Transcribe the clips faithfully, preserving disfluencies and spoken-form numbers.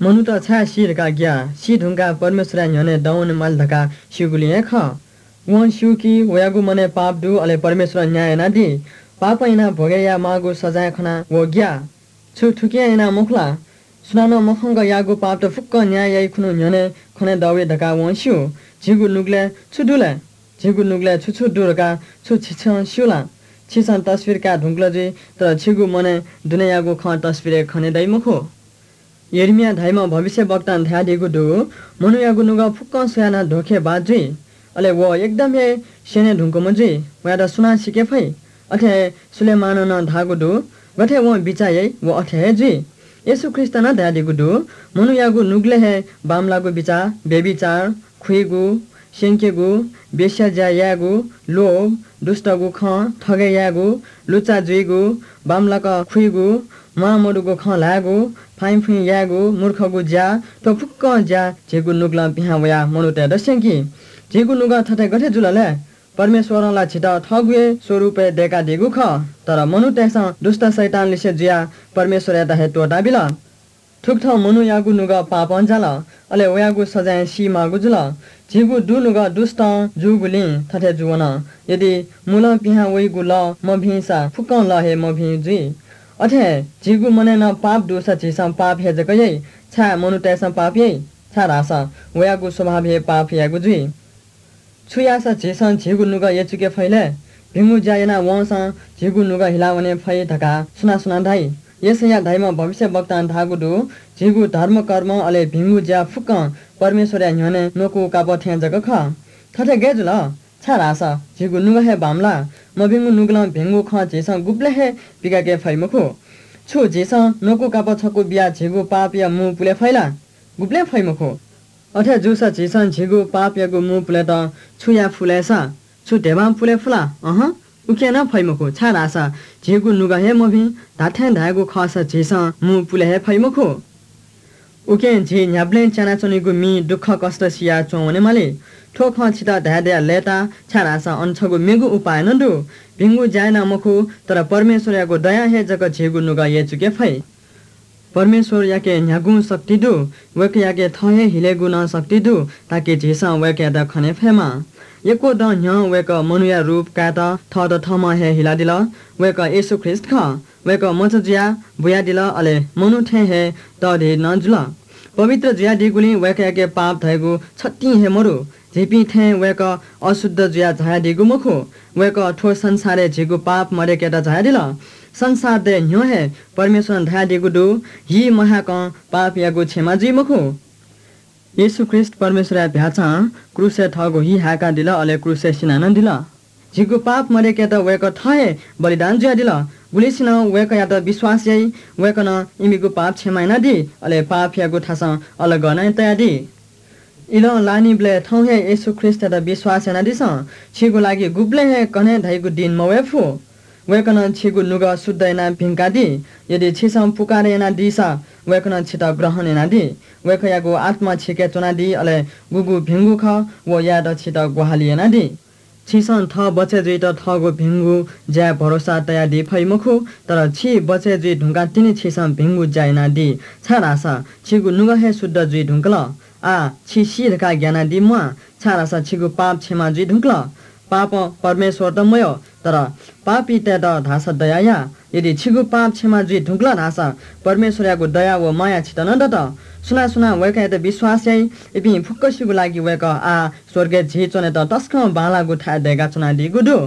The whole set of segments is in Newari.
मनूत छाय् सी धकाः ग्याः? सी धुंकाः परमेश्वरया न्ह्यःने दं वने माली धकाः स्यूगुलिं हे खः। वं स्यू कि वयागु मनय् पाप दु, अले परमेश्वरं न्याय यानादी। पापं यानाः भोगे यायेमाःगु सजाँय खनाः व ग्याः। छु थुकिं यानाः मखु ला? सुनानं मखंक याःगु पापत फुक्कं न्याय याइ खुन्हु न्ह्यःने खनेदइ धकाः वं स्यू। झीगु नुगलय् छु दु लय्? झीगु नुगलय् छु छु दु धकाः छु छिसं स्यू ला? छिसं तस्वीर काये धुंकल जुइ, तर छिगु मनय् दुनेयागु खँ तस्वीरय् खनेदइ मखु। यर्मिया धाइम्ह भविष्यवक्तां धयादीगु दु, मनूयागु नुगः फुक्कं स्वयाः नं ध्वखे बात जुइ। अले व एकदम हे स्यने धुंकूम्ह जुइ। वयात सुनां सीके फइ? अथे हे सुलेमानं नं धाःगु दु, गथे वं बिचाः याइ, व अथे हे जुइ। येशू ख्रीष्टं नं धयादीगु दु, मनूयागु नुगलय् हे बांमलाःगु बिचाः, व्‍यभिचार, खुइगु, स्यंकेगु, वेश्या ज्‍या यायेगु, लोभ, दुष्‍टगु खँ, थगय् यायेगु, लुच्‍चा जुइगु, बांमलाक खुइगु, म्‍वाः मदुगु खँ ल्‍हायेगु, फाइँफुइँ यायेगु, मूर्खगु ज्‍या, थ्‍व फुक्‍कं ज्‍या झीगु नुगलं पिहां वयाः मनूतय्‌त स्‍यंकी। झीगु नुगः थथे गथे जुल लय्? परमेश्‍वरं ला झीत थःगु हे स्वरूपय् दय्‌कादीगु खः। तर मनूतय्‌सं दुष्‍ट शैतानलिसे जुयाः परमेश्‍वरयात हे त्‍वःताबिल। थुकथं मनूयागु नुगः पापं जाल, अले वयागु सजाँय सी माःगु जुल। झीगु दुनुगः दुष्‍टं जूगुलिं थथे जूवन। यदि मुलं पिहां वइगु लः मभिंसा फुक्‍कं लः हे मभिं जुइ। अथे हे झीगु मनय् नं पाप दुसा झीसं पाप हे जक याइ। छाय् मनूतय्‌सं पाप याइ? छाय्‌धाःसा वयागु स्वभाव हे पाप यायेगु जुइ। छु याःसा झीसं झीगु नुगः यचुके फइ लय्? भिंगु ज्‍या यानाः वंसां झीगु नुगः हिलावने फइ धकाः सुनां सुनां धाइ? यशैया धाइम्‍ह भविष्‍यवक्तां धाःगु दु, झीगु धर्मकर्म अले भिंगु ज्‍या फुक्‍कं परमेश्‍वरया न्‍ह्यःने न्‍वकू कापः थें जक खः। थथे गय् जुल? छाय्‌धाःसा झीगु नुगः हे बांमलाः। मभिंगु नुगलं भिंगु खँ झीसं गुबलें हे पिकाके फइ मखु। छु झीसं न्‍वकू कापः छकू बियाः झीगु पापया मू पुले फइ ला? गुबलें फइ मखु। अथे जूसा झीसं झीगु पापयागु मू पुलेत छु याये फु लय् सा? छु ध्यबां पुले फु ला? अहं, उकिं नं फइ मखु, छाय्‌धाःसा झीगु नुगः हे मभिं। धात्‍थें धायेगु खःसा झीसं मू पुले हे फइ मखु। उकिं झी न्‍ह्याबलें च्‍यानाच्‍वनीगु मि दुःखकष्‍ट सियाः च्‍वं वनेमाली। थ्‍व खँ छितः धायेदया लय्‌ता, छाय्‌धाःसा अन छगू मेगु उपाय नं दु। भिंगु ज्‍या यानाः मखु, तर परमेश्‍वरयागु दयां हे जक झीगु नुगः यचुके फइ। परमेश्‍वरयाके न्‍ह्यागुं शक्ति दु, वय्‌कःयाके थः हे हिलेगु नं शक्ति दु, ताकि झीसं वय्‌कःयात खने फयेमा। यक्‍व दँ न्‍ह्यः वय्‌कः मनूया रूप कायेत थःत थःम्‍हं हे हिलादिल। वय्‌कः येशू ख्रीष्‍ट खः। वय्‌कः मचा जुयाः बुयादिल, अले मनू थें हे तःधि नं जुल। पवित्र जुयादीगुलिं वय्‌कःयाके पाप धइगु छतिं हे मदु। झीपिं थें वय्‌कः अशुद्ध जुयाः झायादीगु मखु। वय्‌कः थ्‍व संसारय् झीगु पाप मदय्‌केत झायादिल। संसार दये न्‍ह्यः हे परमेश्‍वरं धयादीगु दु, हि महाय्‌कं पापयागु क्षमा जुइ मखु। येशू ख्रीष्‍ट परमेश्‍वरया भ्‍याःचां क्रूसय् थःगु हि हाय्‌कादिल, अले क्रूसय् सिना नं दिल। झीगु पाप मदय्‌केत वय्‌कः थः हे बलिदान जुयादिल। गुलिसिनं वय्‌कःयात विश्‍वास याइ, वय्‌कलं इमिगु पाप क्षमा यानादी, अले पापयागु थासं अलग नं तयादी। इलं लाःनिबलय् थौं हे येशू ख्रीष्‍टयात विश्‍वास यानादिसँ। छिगु लागि गुबलें हे कन्हय् धइगु दिं मवये फु। वय्‌कलं छिगु नुगः शुद्ध यानाः भिंकादी। यदि छिसं पुकारा यानादीसा, वय्‌कलं छितः ग्रहण यानादी। वय्‌कःयागु आत्‍मा छिके च्‍वनादी, अले गुगु भिंगु खः, व यायेत छितः ग्‍वाहालि यानादी। छिसं थः बचय् जुइत थःगु भिंगु ज्‍याय् भरोसा तयादी फइ मखु, तर छि बचय् जुइ धुंकाः तिनि छिसं भिंगु ज्‍या यानादी, छाय्‌धाःसा छिगु नुगः हे शुद्ध जुइ धुंकल। आः छि सी धकाः ग्‍यानादी म्‍वाः, छाय्‌धाःसा छिगु पाप क्षमा जुइ धुंकल। पापं परमेश्‍वरत मयः, तर पापीतय्‌त धाःसा दया या। यदि छिगु पाप क्षमा जुइ धुंकल धाःसा परमेश्‍वरयागु दया व माया छित नं दत। सुनां सुनां वय्‌कःयात विश्‍वास याइ, इपिं फुक्‍कसिगु लागि वय्‌कः आः स्‍वर्गय् झी च्‍वनेत तसकं बांलाःगु थाय् दय्‌काच्‍वनादीगु दु।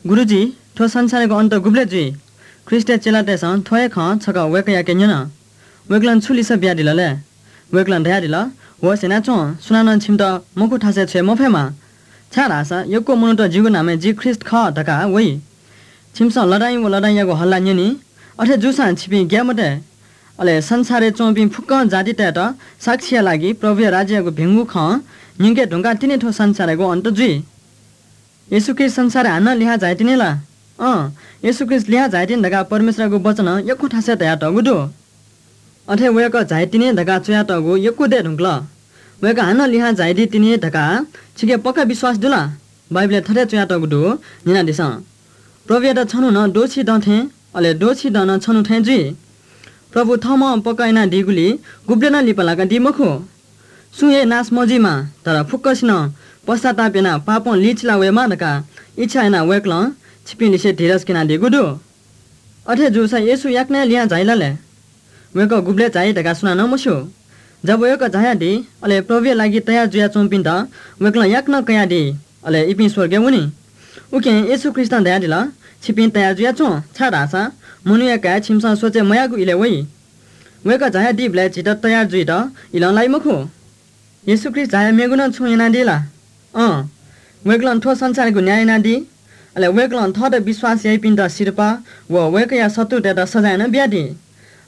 गुरुजी, थ्व संसारयागु अन्त गुबलय् जुइ? ख्रीष्टया चेलातय्‌सं थ्व हे खँ छकः वय्‌कःयाके न्यन। वय्‌कलं छु लिसः बियादिल लय्? वय्‌कलं धयादिल, "होश यानाच्वँ, सुनानं छिमित मखु थासय् छ्वये मफयेमा। छाय्‌धाःसा यक्व मनूत जिगु नामय् जि ख्रीष्ट खः धकाः वइ। छिमिसं लडाइँ व लडाइँयागु हल्ला न्यनी। अथे जूसां छिपिं ग्याये मते। अले संसारय् च्वंपिं फुक्कं जातितय्‌त साक्षीया लागि प्रभुया राज्ययागु भिंगु खँ न्यंके धुंकाः तिनि थ्व संसारयागु अन्त जुइ।" येशू ख्रीष्ट संसारय् हानं लिहां झाइतिनि ला? अँ, येशू ख्रीष्ट लिहां झाइतिनि धकाः परमेश्वरयागु वचनं यक्व थासय् धयातःगु दु। अथे वय्‌कः झाइतिनि धकाः च्वयातःगु यक्व दये धुंकल। वय्‌कः हानं लिहां झाइदीतिनि धकाः छिके पक्का विश्वास दु ला? बाइबलय् थथे च्वयातःगु दु, न्यनादिसँ। प्रभुयात छन्हु नं द्वःछि दँ थें, अले द्वःछि दँ नं छन्हु थें जुइ। प्रभु थःम्हं पक्का यानादीगुलिं गुबलें नं लिपा लाकादी मखु। सुं हे नाश मजुइमा, तर फुक्कसिनं पश्चाताप यानाः पापं लिचिला वयेमा धकाः इच्छा यानाः वय्‌कलं छिपिं लिसे धीरज क्यनादीगु दु। अथे जूसा येशू याकनं हे लिहां झाइ ला लय्? वय्‌कः गुबलय् झाइ धकाः सुनानं मस्यू। जब वय्‌कः झायादी, अले प्रभुया लागि तयार जुयाच्वंपिन्त वय्‌कलं याकनं कयादी, अले इपिं स्वर्गय् वनी। उकिं येशू ख्रीष्टं धयादिल, "छिपिं तयार जुयाच्वँ, छाय्‌धाःसा मनूया काय् छिमिसं सोचे मयाःगु इलय् वइ।" वय्‌कः झायादीबलय् झीत तयार जुइत इलं लाइ मखु। येशू ख्रीष्ट झायाः मेगु नं छुं यानादी ला? अँ, वय्‌कलं थ्व संसारयागु न्याय यानादी। अले वय्‌कलं थःत विश्वास याइपिन्त सिरपाः व वय्‌कःया शत्रुतय्‌त सजाँय नं बियादी।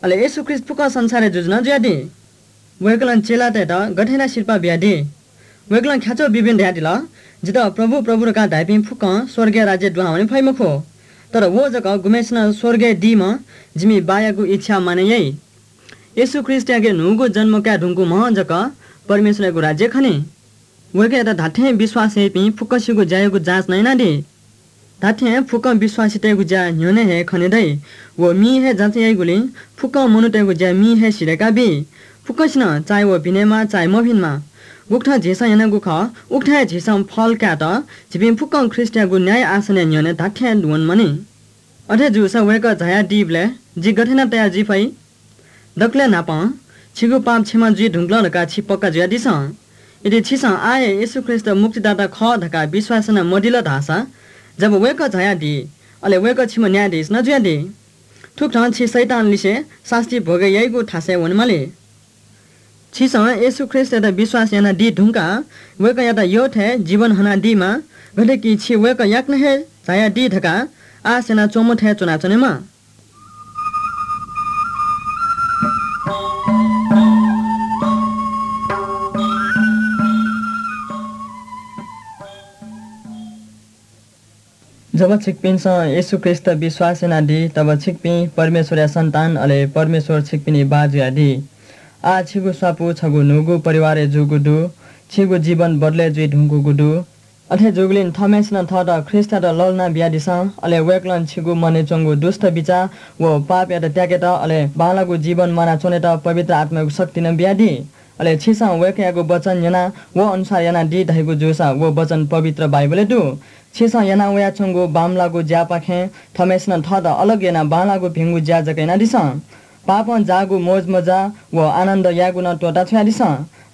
अले येशू ख्रीष्ट फुक्क संसारय् जुजु नं जुयादी। वय्‌कलं चेलातय्‌त गथे यानाः सिरपाः बियादी? वय्‌कलं ख्याच्वः ब्यूब्यूं धयादिल, "जितः प्रभु, प्रभु धकाः धाइपिं फुक्कं स्वर्गया राज्यय् दुहां वने फइ मखु, तर व जक गुम्हय्‌सिनं स्वर्गय् दीम्ह जिमि बाःयागु इच्छा मानय् याइ।" येशू ख्रीष्टयाके न्हूगु जन्म काये धुंकूम्हं जक परमेश्वरयागु राज्य खनी। वय्‌कःयात धात्थें विश्वास याइपिं फुक्कसिगु ज्यायागु जाँच नं यानादी। धात्थें फुक्कं विश्वासीतय्‌गु ज्या न्ह्यःने हे खने दइ। व मिं हे जाँच याइगुलिं फुक्कं मनूतय्‌गु ज्या मिं हे सिधय्‌का बी। फुक्कसिनं चाहे व भिनेमा, चाहे मभिनेमा। गुकथं झीसं यानागु खः, उकथं हे झीसं फल कायेत झीपिं फुक्कं ख्रीष्टयागु न्याय आसनया न्ह्यःने धात्थें वनेमानि। अथे जूसा वय्‌कः झायादीबलय् जि गथे यानाः तयार जुइ फइ? दकलय् न्हापां छिगु पाप क्षमा जुइ धुंकल धकाः छि पक्का जुयादिसँ। यदि छिसं आः हे येशू ख्रीष्ट मुक्तिदाता खः धकाः विश्वास याना मदिल धाःसा, जब वय्‌कः झायादी, अले वय्‌कः छिम्ह न्यायाधीश नं जुयादी। थुकथं छि शैतान लिसे सास्ती भोगे याइगु थासय् वनेमाली। छिसं येशू ख्रीष्टयात विश्वास यानादी धुंकाः वय्‌कःयात यःथें जीवन हनादीमा, गथे कि छि वय्‌कः याकनं हे झायादी धकाः आश यानाच्वंम्ह थें च्वनाच्वनेमा। जब छिकपिन्सं येशू ख्रीष्ट विश्वास यानादी, तब छिकपिं परमेश्वरया सन्तान, अले परमेश्वर छिकपिनि बाः जुयादी। आः छिगु स्वापू छगू न्हूगु परिवारय् जूगु दु। छिगु जीवन बदलय् जुइ धुंकूगु दु। अथे जूगुलिं थःम्हय्‌सिनं थःत ख्रीष्टयात लःल्हाना बियादिसँ, अले वय्‌कलं छिगु मनय् च्वंगु दुष्ट बिचाः व पापयात त्याकेत, अले बांलाःगु जीवन म्वानाच्वनेत पवित्र आत्मायागु शक्ति नं बियादी। अले छिसं वय्‌कःयागु वचन न्यनाः व अनुसार यानादी धइगु जूसा, व वचन पवित्र बाइबलय् दु। छिसं याना वयाच्वंगु बांमलाःगु ज्यापाखें थःम्हय्‌सिनं थःत अलग यानाः बांलाःगु भिंगु ज्या जक यानादिसँ। पापं जाःगु मोजमज्जा व आनन्द यायेगु नं त्वःताछ्वयादिसँ।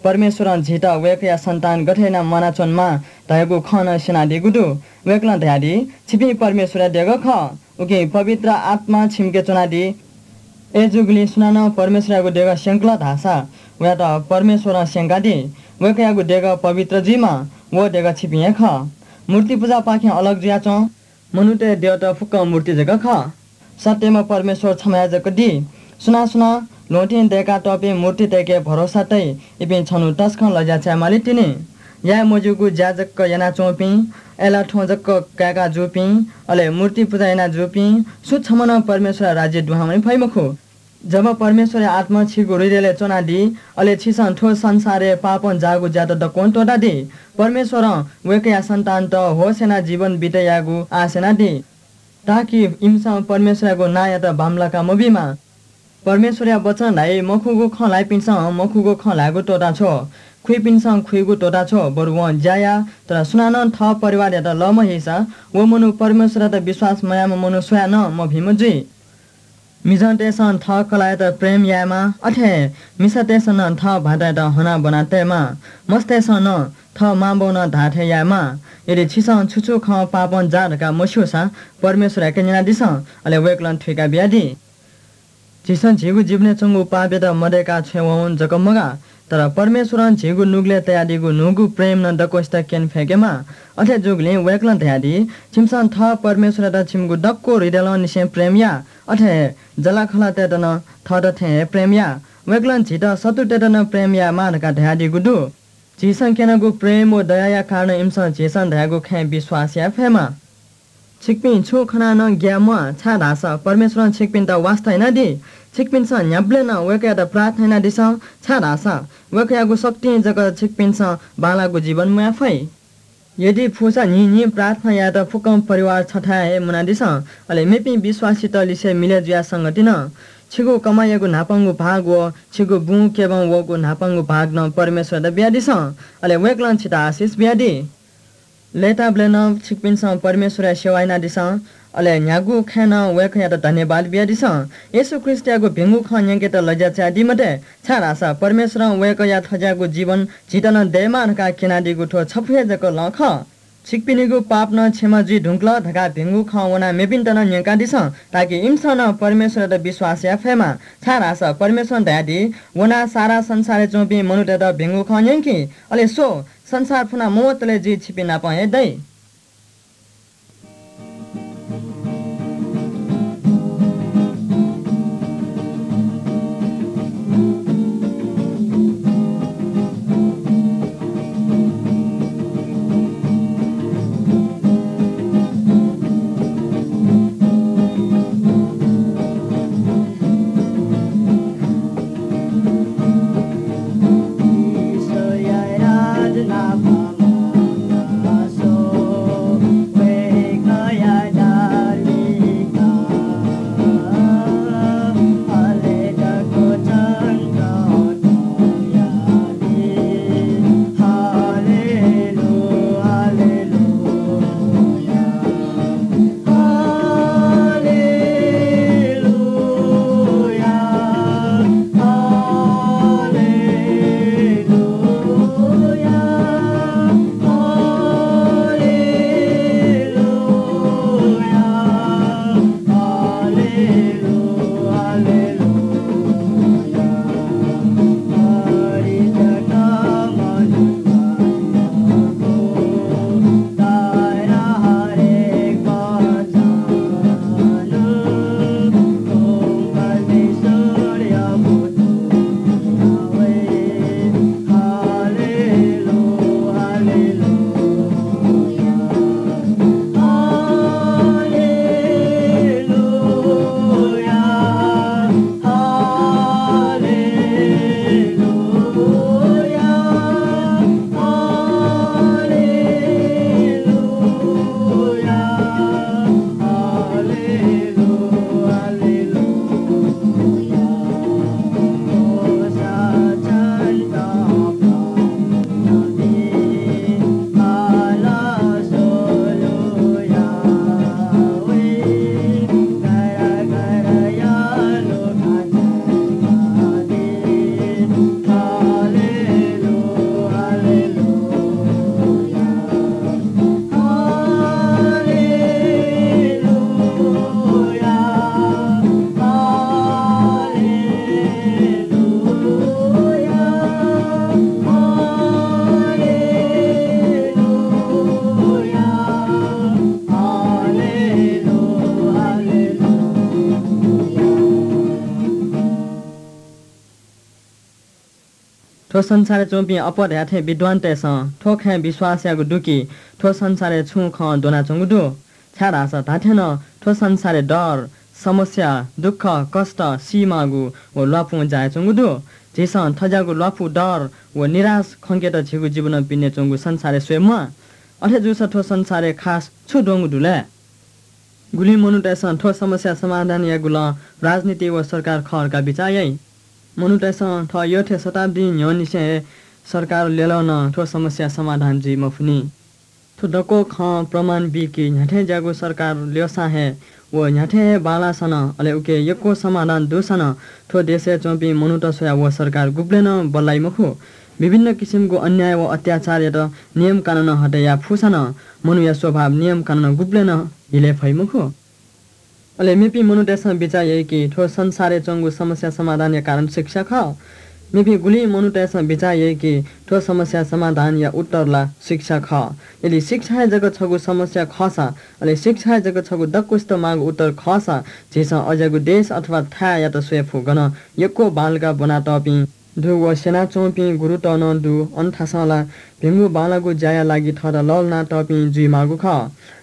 परमेश्वरं झीत वय्‌कःया सन्तान गथे यानाः म्वानाच्वनेमाः धयागु खँ नं स्यनादीगु दु। वय्‌कलं धयादी, "छिपिं परमेश्वरया देगः खः, उकिं पवित्र आत्मा छिमिके च्वनादी। अय्‌जूगुलिं सुनानं परमेश्वरयागु देगः स्यंकल धाःसा, वयात परमेश्वरं स्यंकादी। वय्‌कःयागु देगः पवित्र जुइमाः, व देगः छिपिं हे खः। मूर्ति पुजापाखें अलग जुयाच्वँ, मनूतय् द्यःत फुक्कं मूर्ति जक खः। सत्यम्ह परमेश्वर छम्हया जक दी। सुनां सुनां ल्वहंतिं दय्‌कातःपिं मूर्तितय्‌के भरोसा तइ, इपिं छन्हु तसकं लज्या चायेमाली तिनि। याये मज्यूगु ज्या जक यानाच्वंपिं, अय्‌लाः थ्वँ जक काय्‌का जूपिं, अले मूर्ति पुजा याना जूपिं सुं छम्ह नं परमेश्वरया राज्यय् दुहां वने फइ मखु।" जब परमेश्वरया आत्मा छिगु हृदयलय् च्वनादी, अले छिसं थ्व संसारय् पापं जाःगु ज्यात दक्वं त्वःतादी। परमेश्वरं वय्‌कःया सन्तानत होश यानाः जीवन बितय् यायेगु आश यानादी, ताकि इमिसं परमेश्वरयागु नांयात बांमलाका मबीमा। परमेश्वरया वचन धाइ, मखुगु खँ ल्हाइपिन्सं मखुगु खँ ल्हायेगु त्वःताछ्व, खुइपिन्सं खुइगु त्वःताछ्व, बरु वं ज्या या। तर सुनानं थः परिवारयात लःमहीसा, व मनू परमेश्वरयात विश्वास मयाःम्ह मनू स्वयाः नं मभिंम्ह जुइ। मिजंतय्‌सं थः कलाःयात प्रेम यायेमाः, अथे हे मिसातय्‌सं नं थः भाःतयात हनाबना तयेमाः। मस्तय्‌सं नं थः मांबौनं धाःथें यायेमाः। यदि छिसं छु छु खँ पापं जाः धकाः मस्यूसा परमेश्वरयाके न्यनादिसँ, अले वय्‌कलं थुइका बियादी। झीसं झीगु जीवनय् च्वंगु पापयात मदय्‌का छ्वयेवं जक मगाः, तर परमेश्वरं झीगु नुगलय् तयादीगु न्हूगु प्रेम नं दक्वसित क्यने फय्‌केमाः। अथे जूगुलिं वय्‌कलं धयादी, "छिमिसं थः परमेश्वरयात छिमिगु दक्व हृदयलंनिसें प्रेम या, अथे हे जलाखलातय्‌त नं थःत थें हे प्रेम या।" वय्‌कलं झीत शत्रुतय्‌त नं प्रेम यायेमाः धकाः धयादीगु दु। झीसं क्यनागु प्रेम व दयाया कारणं इमिसं झीसं धयागु खँय् विश्वास याये फयेमा। छिकपिं छुं खनाः नं ग्याये म्वाः, छाय्‌धाःसा परमेश्वरं छिकपिन्त वास्ता यानादी। छिकपिन्सं न्ह्याबलें नं वय्‌कःयात प्रार्थना यानादिसँ, छाय्‌धाःसा वय्‌कःयागु शक्तिं जक छिकपिन्सं बांलाःगु जीवन म्वाये फइ। यदि फुसा न्हिं न्हिं प्रार्थना यायेत फुक्कं परिवार छथाय् हे मुनादिसँ, अले मेपिं विश्वासीत लिसे मिलय् जुयाः संगति नं। छिगु कमाइयागु न्हापांगु भाग व छिगु बुँ क्यबं वःगु न्हापांगु भाग नं परमेश्वरयात बियादिसँ, अले वय्‌कलं छितः आशिष बियादी। लय्‌ताबलय् नं छिकपिन्सं परमेश्वरया सेवा यानादिसँ, अले न्ह्यागु खँय् नं वय्‌कःयात धन्यवाद बियादिसँ। येशू ख्रीष्टयागु भिंगु खँ न्यंकेत लज्या चायादी मते, छाय्‌धाःसा परमेश्वरं वय्‌कःया थज्याःगु जीवन झीत नं दयेमाः धकाः क्यनादीगु थ्व छपु हे जक लँ खः। छिकपिनिगु पाप नं क्षमा जुइ धुंकल धकाः भिंगु खँ वनाः मेपिन्त नं न्यंकादिसँ, ताकि इमिसं नं परमेश्वरयात विश्वास याये फयेमा। छाय्‌धाःसा परमेश्वरं धयादी, "वनाः सारा संसारय् च्वंपिं मनूतय्‌त भिंगु खँ न्यंकि। अले स्व, संसार फुना मवतले जि छिपिं नाप हे दइ।" थ्व संसारय् च्वंपिं अप्वः धयाथें विद्वानतय्‌सं थ्व खँय् विश्वास याःगु दु कि थ्व संसारय् छुं खँ द्वनाच्वंगु दु। छाय्‌धाःसा धात्थें नं थ्व संसारय् डर, समस्या, दुःख, कष्ट, सीमाःगु व ल्वापुं जायाच्वंगु दु। झीसं थज्याःगु ल्वापु, डर व निराश खंकेत झीगु जीवनं पिने च्वंगु संसारय् स्वये म्वाः। अथे जूसा थ्व संसारय् खास छु द्वंगु दु लय्? गुलिं मनूतय्‌सं थ्व समस्या समाधान यायेगु लँ राजनीति व सरकार खः धकाः बिचाः याइ। मनूतय्‌सं थः यःथें शताब्दीं न्ह्यःनिसें हे सरकार ल्यलं नं थ्व समस्या समाधान जुइ मफुनि। थ्व दक्व खँ प्रमाण बी कि न्ह्याथें ज्याःगु सरकार ल्यःसां हे व न्ह्याथें हे बांलाःसां नं, अले उके यक्व समाधान दुसां नं थ्व देशय् च्वंपिं मनूत स्वयाः व सरकार गुबलें नं बल्लाइ मखु। विभिन्न किसिमगु अन्याय व अत्याचारयात नियम कानुनं हटे याये फुसां नं मनूया स्वभाव नियम कानुनं गुबलें नं हिले फइ मखु। अले मेपिं मनूतय्‌सं बिचाः याइ कि थ्व संसारय् च्वंगु समस्या समाधानया कारण शिक्षा खः। मेपिं गुलिं मनूतय्‌सं बिचाः याइ कि थ्व समस्या समाधानया उत्तर ला शिक्षा खः। यदि शिक्षा हे जक छगू समस्या खःसा, अले शिक्षा हे जक छगू दक्वसित माःगु उत्तर खःसा, झीसं अज्याःगु देश अथवा थाय्‌यात स्वये फु, गन यक्व बांलाक ब्वनातःपिं दु व स्यनाच्वंपिं गुरुत नं दु। अन थासं ला भिंगु बांलाःगु ज्याया लागि थःत लःल्हानातःपिं जुइमाःगु खः।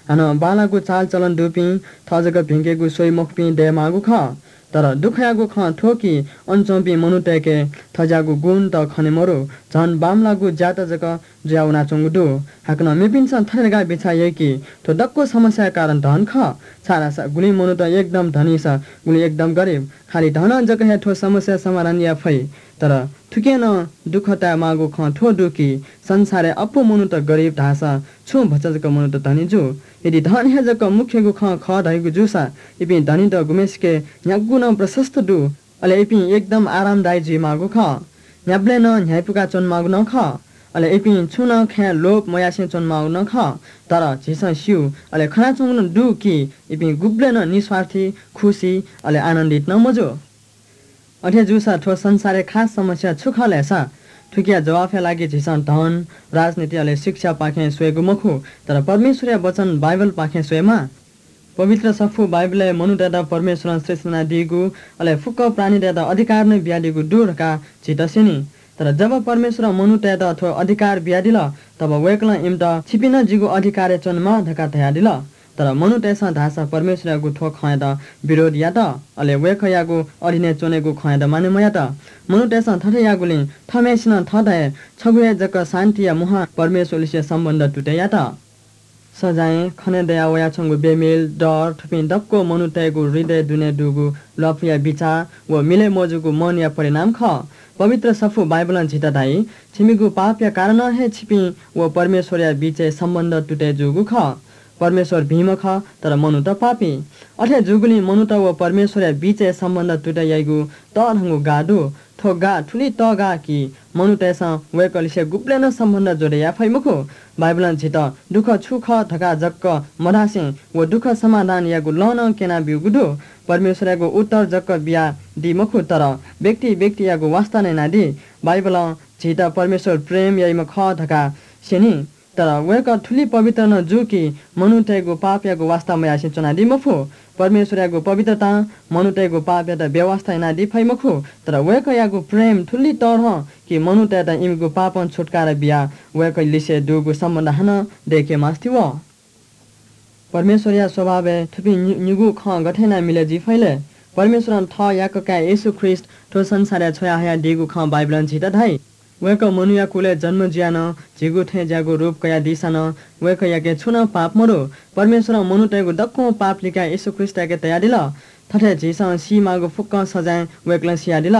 हानं बांलाःगु चालचलन दुपिं, थः जक भिंकेगु स्वइ मखुपिं दयेमाःगु खः। तर दुःखयागु खँ थ्व कि अन च्वंपिं मनूतय्‌के थज्याःगु गुण त खने मरु, झन बांमलाःगु ज्यात जक जुयावनाच्वंगु दु। हाकनं मेपिन्सं थथे धकाः बिचाः याइ कि थ्व दक्व समस्याया कारण धन खः। छाय्‌धाःसा गुलिं मनूत एकदम धनीसा गुलिं एकदम गरिब। खालि धनं जक हे थ्व समस्या समाधान याये फइ। तर थुकिं नं दुःख तायेमाःगु खँ थ्व दु कि संसारय् अप्वः मनूत गरिब धाःसा छुं भचा जक मनूत धनी जू। यदि धन हे जक मुख्यगु खँ खः धइगु जूसा इपिं धनीत गुम्हेसिके न्ह्यागु नं प्रशस्त दु। अले इपिं एकदम आरामदायी जुइमाःगु खः। न्ह्याबलें नं न्ह्याइपुका च्वनेमाःगु नं खः। अले इपिं छुं नं खँय् लोभ मयासें च्वनेमाःगु नं खः। तर झीसं स्यू, अले खनाच्वंगु नं दु कि इपिं गुबलें नं निस्वार्थी, खुसी, अले आनन्दित नं मजू। अथे जूसा थ्व संसारय् खास समस्या छु खः लय्‌सा? थुकिया जवाफया लागि झीसं धन, राजनीति अले शिक्षापाखें स्वयेगु मखु, तर परमेश्वरया वचन बाइबलपाखें स्वयेमाः। पवित्र सफू बाइबलय् मनूतय्‌त परमेश्वरं सृष्टि यानादीगु, अले फुक्क प्राणीतय्‌त अधिकार नं बियादीगु दु धकाः झीत स्यनी। तर जब परमेश्वरं मनूतय्‌त थ्व अधिकार बियादिल, तब वय्‌कलं इमित "छिपिं नं जिगु अधिकारय् च्वनेमाः" धकाः धयादिल। तर मनूतय्‌सं धाःसा परमेश्वरयागु थ्व खँयात विरोध यात, अले वय्‌कःयागु अधीनय् च्वनेगु खँयात मानय् मयात। मनूतय्‌सं थथे याःगुलिं थःम्हय्‌सिनं थःत हे छगू हे जक शान्तिया मुहां परमेश्वरलिसे सम्बन्ध तुतय् यात। सजाँय, खने दया वयाच्वंगु बेमिल, डर, थुपिं दक्व मनूतय्‌गु हृदय दुने दुगु ल्वापुया बिचाः व मिलय् मजूगु मनया परिणाम खः। पवित्र सफू बाइबलं झीत धाइ, "छिमिगु पापया कारणं हे छिपिं व परमेश्वरया बिचय् सम्बन्ध तुतय् जूगु खः।" परमेश्वर भिंम्ह खः, तर मनूत पापी। अथे जूगुलिं मनूत व परमेश्वरया बिचय् सम्बन्ध तुतय् याइगु तःधंगु गाः दु। थ्व गाः थुलि तःगाः कि मनूतय्‌सं वय्‌कःलिसे गुबलें नं सम्बन्ध जोडय् याये फइ मखु। बाइबलं झीत दुःख छु खः धकाः जक मधासें व दुःख समाधान यायेगु लँ नं क्यनाब्यूगु दु। परमेश्वरयागु उत्तर जक बियादी मखु, तर व्यक्ति व्यक्तियागु वास्ता नं यानादी। बाइबलं झीत परमेश्वर प्रेम याइम्ह खः धकाः स्यनी। तर वय्‌कः थुलि पवित्र नं जू कि मनूतय्‌गु पापयागु वास्ता मयासें च्वनादी मफु। परमेश्वरयागु पवित्रतां मनूतय्‌गु पापयात बेवास्ता यानादी फइ मखु, तर वय्‌कःयागु प्रेम थुलि तःधं कि मनूतय्‌त इमिगु पापं छुत्कारा बियाः वय्‌कःलिसे दुगु सम्बन्ध हानं दय्‌के मास्ति वः। परमेश्वरया स्वभावय् थुपिं नि-, निगू खँ गथे यानाः मिलय् जुइ फइ ले? परमेश्वरं थः याकः काय् येशू ख्रीष्ट थ्व संसारय् छ्वयाहयादीगु खँ बाइबलं झीत धाइ। वय्‌कः मनूया कुलय् जन्म जुयाः नं झीगु थें ज्याःगु रूप कयादीसां नं वय्‌कःयाके छुं नं पाप मदु। परमेश्वरं मनूतय्‌गु दक्वं पाप लिकाः येशू ख्रीष्टयाके तयादिल। थथे झीसं सीमाःगु फुक्कं सजाँय वय्‌कलं सियादिल।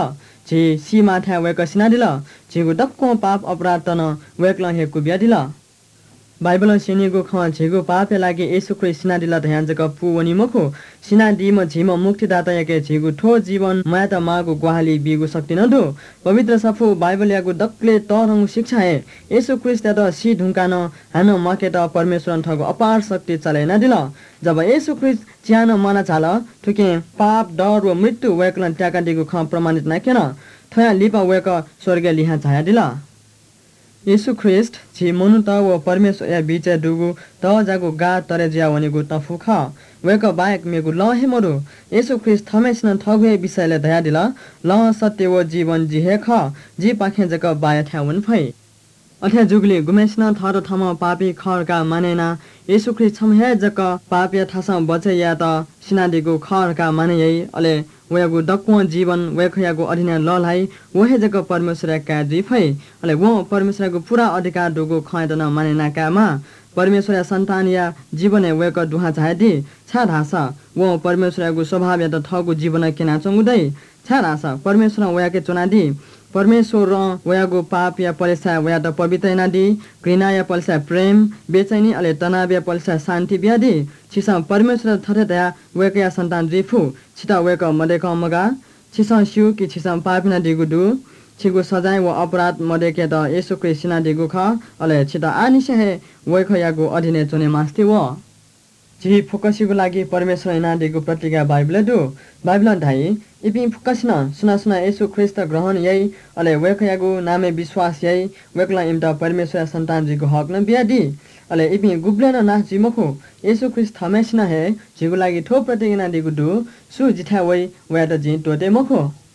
झी सीमाःथाय् वय्‌कः सिनादिल। झीगु दक्वं पाप अपराधत नं वय्‌कलं हे क्वबियादिल। बाइबलं स्यनीगु खँ झीगु पापया लागि येशू ख्रीष्ट सिनादिल धयां जक पूवनी मखु। सिनादीम्ह झीम्ह मुक्तिदातायाके झीगु थ्व जीवन म्वायेत माःगु ग्वाहालि बीगु शक्ति नं दु। पवित्र सफू बाइबलयागु दकलय् तःधंगु शिक्षा हे येशू ख्रीष्टयात सी धुंकाः नं हानं म्वाकेत परमेश्वरं थःगु अपार शक्ति चाले यानादिल। जब येशू ख्रीष्ट चिहानं म्वाना झाल, थुकिं पाप, डर व मृत्यु वय्‌कलं त्याकादीगु खँ प्रमाणित यानाक्यन। थ्वयां लिपा वय्‌कः स्वर्गय् लिहां झायादिल। येशू ख्रीष्ट झी मनूत व परमेश्वरया बीचय् दुगु तःजाःगु गाः तरे जुयावनीगु तफू खः। वय्‌कः बाहेक मेगु लँ हे मदु। येशू ख्रीष्ट थःम्हय्‌सिनं थःगु हे विषयलय् धयादिल, "लँ, सत्य व जीवन जि हे खः। जिपाखें जक बाःयाथाय् वने फइ।" अथे जूगुलिं गुम्हय्‌सिनं थःत थःम्हं पापी खः धकाः मानय् यानाः येशू ख्रीष्ट छम्ह हे जक पापया थासं बचय् यायेत सिनादीगु खः धकाः मानय् याइ, अले वयागु दक्वं जीवन वय्‌कःयागु अधीनय् लःल्हाइ, व हे जक परमेश्वरया काय् जुइ फइ। अले वं परमेश्वरयागु पूरा अधिकार दुगु खँयात नं मानय् याना कायेमाः। परमेश्वरया सन्तानया जीवनय् वय्‌कः दुहां झायादी, छाय्‌धाःसा वं परमेश्वरयागु स्वभावयात थःगु जीवनं क्यनाच्वंगु दइ। छाय्‌धाःसा परमेश्वरं वयाके च्वनादी। परमेश्वरं वयागु पापया पलेसाय् वयात पवित्र यानादी, घृणाया पलेसाय् प्रेम, बेचैनी अले तनावया पलेसाय् शान्ति बियादी। छिसं परमेश्वरयात थथे धयाः वय्कःया सन्तान जुइ फु। छितः वय्कः मदय्कं मगाः। छिसं स्यू कि छिसं पाप यानादीगु दु। छिगु सजाँय व अपराध मदय्केत येशू ख्रीष्ट सिनादीगु खः। अले छितः आःनिसें हे वय्कःयागु अधीनय् च्वने मास्ति वः। झी फुक्कसिगु लागि परमेश्वरं यानादीगु प्रतिज्ञा बाइबलय् दु। बाइबलं धाइ, इपिं फुक्कसिनं सुनां सुनां येशू ख्रीष्ट ग्रहण याइ, अले वय्कःयागु नामय् विश्वास याइ, वय्कलं इमित परमेश्वरया सन्तान जुइगु हक नं बियादी। अले इपिं गुबलें नं नाश जुइ मखु। येशू ख्रीष्ट थःम्हय्सिनं हे झीगु लागि थ्व प्रतिज्ञा यानादीगु दु, सु जिथाय् वइ, वयात जिं त्वःते मखु।